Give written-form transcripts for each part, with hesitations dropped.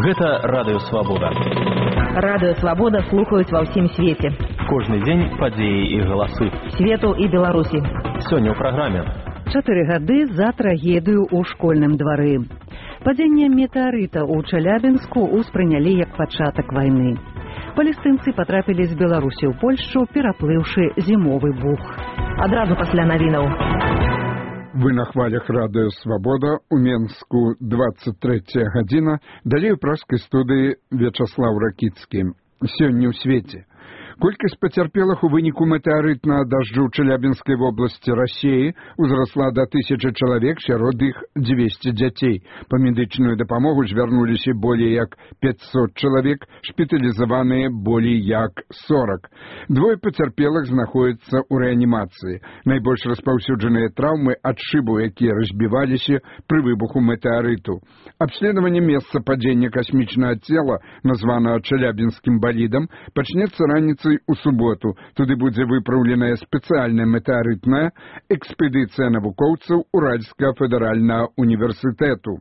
Гэта Радыё Свабода. Радыё Свабода слухаюць ва ўсім свеце. Кожны дзень падзеі і галасы. Свету і Беларусі. Сёння ў праграме. 4 гады за трагедыю ў школьным двары. Падзенне метэарыта ў Челябінску ўспрынялі як пачатак вайны. Палестынцы патрапілі з Беларусі ў Польшчу, пераплыўшы зімовы бух. Адразу пасля навінаў. Вы на хвалях Радыё Свабода, у Менску 23 гадзіна, далей у пражскай студыі Вячаслаў Ракіцкі. Сёння ў свеце. Колькасць пацярпелых у выніку метэарытнага дажджу ў Челябінскай вобласці Расіі узрасла да 1000 чалавек, сярод іх 200 дзяцей. Па медычную дапамогу звярнуліся болей як 500 чалавек, шпіталізаваныя болей як 40. Двое пацярпелых знаходзяцца ў рэанімацыі. Найбольш распаўсюджаныя траўмы ад шыбаў, якія разбіваліся пры выбуху метэарыту. Абследаванне месца падзення касмічнага цела, названага Челябінскім балідам, пачнецца раніцай у суботу. Туды будзе выпраўленая спецыяльная метэарытная экспедыцыя навукоўцаў Уральскага федэральнага універсітэту.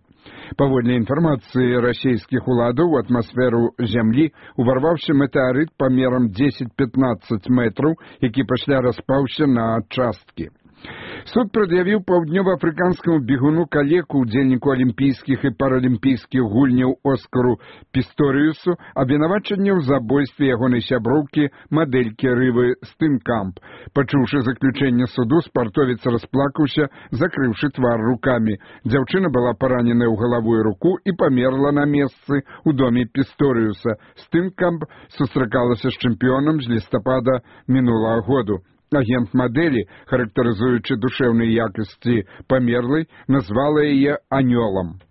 Паводле інфармацыі расійскіх уладаў, у атмасферу зямлі уварваўся метэарыт памерам 10-15 метраў, які пасля распаўся на часткі. Суд прад'явіў паўднёва-афрыканскаму бегуну калеку, удзельніку алімпійскіх і паралімпійскіх гульняў Оскару Пісторіусу абвінавачанне ў забойстве ягонай сяброўкі, мадэлькі Рывы Стынкамп. Пачуўшы заключэнне суду, спартовец расплакаўся, закрыўшы твар рукамі. Дзяўчына была параненая ў галаву і руку і памерла на месцы ў доме Пісторіуса. Стынкамп сустракалася з чэмпіёнам з лістапада мінулага году. Агент мадэлі, характарызуючы душэўныя якасці памерлай, назвала яе анёлам.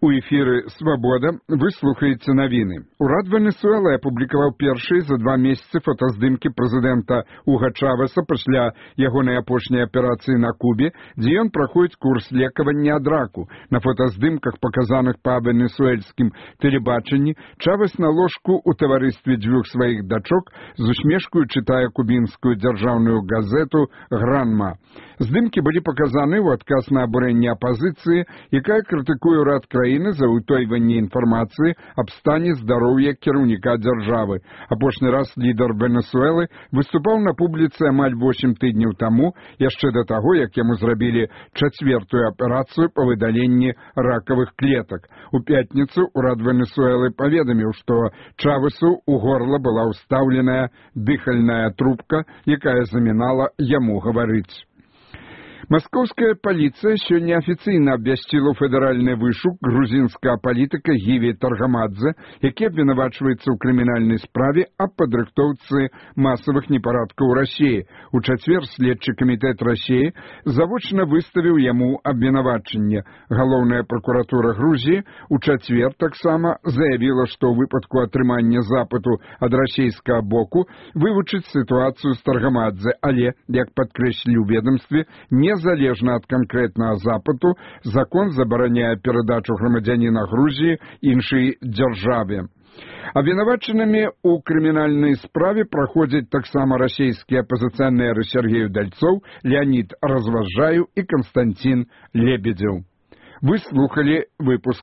У эфіры «Свабода» вы слухаеце навіны. Урад Венесуэлы апублікаваў першыя за 2 месяцы фотаздымкі прэзідэнта Уга Чавеса пасля ягонай апошняй аперацыі на Кубе, дзе ён праходзіць курс лекавання ад раку. На фотаздымках, паказаных па венесуэльскім тэлебачанні, Чавес на ложку ў таварыстве 2 сваіх дачок з усмешкаю чытае кубінскую дзяржаўную газету «Гранма». Здымкі былі паказаны ў адказ на абурэнне апазіцыі, якая крытыкуе ўрад краіны за ўтойванне інфармацыі аб стане здароўя кіраўніка дзяржавы. Апошні раз лідар Венесуэлы выступаў на публіцы амаль 8 тыдняў таму, яшчэ да таго, як яму зрабілі 4-ю аперацыю па выдаленні ракавых клетак. У пятніцу урад Венесуэлы паведаміў, што Чавесу ў горла была ўстаўленая дыхальная трубка, якая замінала яму гаварыць. Маскоўская паліцыя сёння афіцыйна абвясціла ў федэральны вышук грузінскага палітыка Гіві Таргамадзе, які абвінавачваецца ў крымінальнай справе аб падрыхтоўцы масавых непарадкаў у Расіі. У чацвер следчы камітэт Расіі завочна выставіў яму абвінавачанне. Галоўная пракуратура Грузіі у чацвер таксама заявіла, што ў выпадку атрымання запыту ад расійскага боку вывучыць сітуацыю з Таргамадзе, але, як падкрэслілі ў ведамстве, незалежна ад канкрэтнага запыту, закон забараняе перадачу грамадзяніна Грузіі іншай дзяржаве. Абвінавачанымі ў крымінальнай справе праходзяць таксама расійскія апазіцыянеры Сергей Удальцоў, Леонид Разважаю і Константин Лебедзеў. Вы слухалі выпуск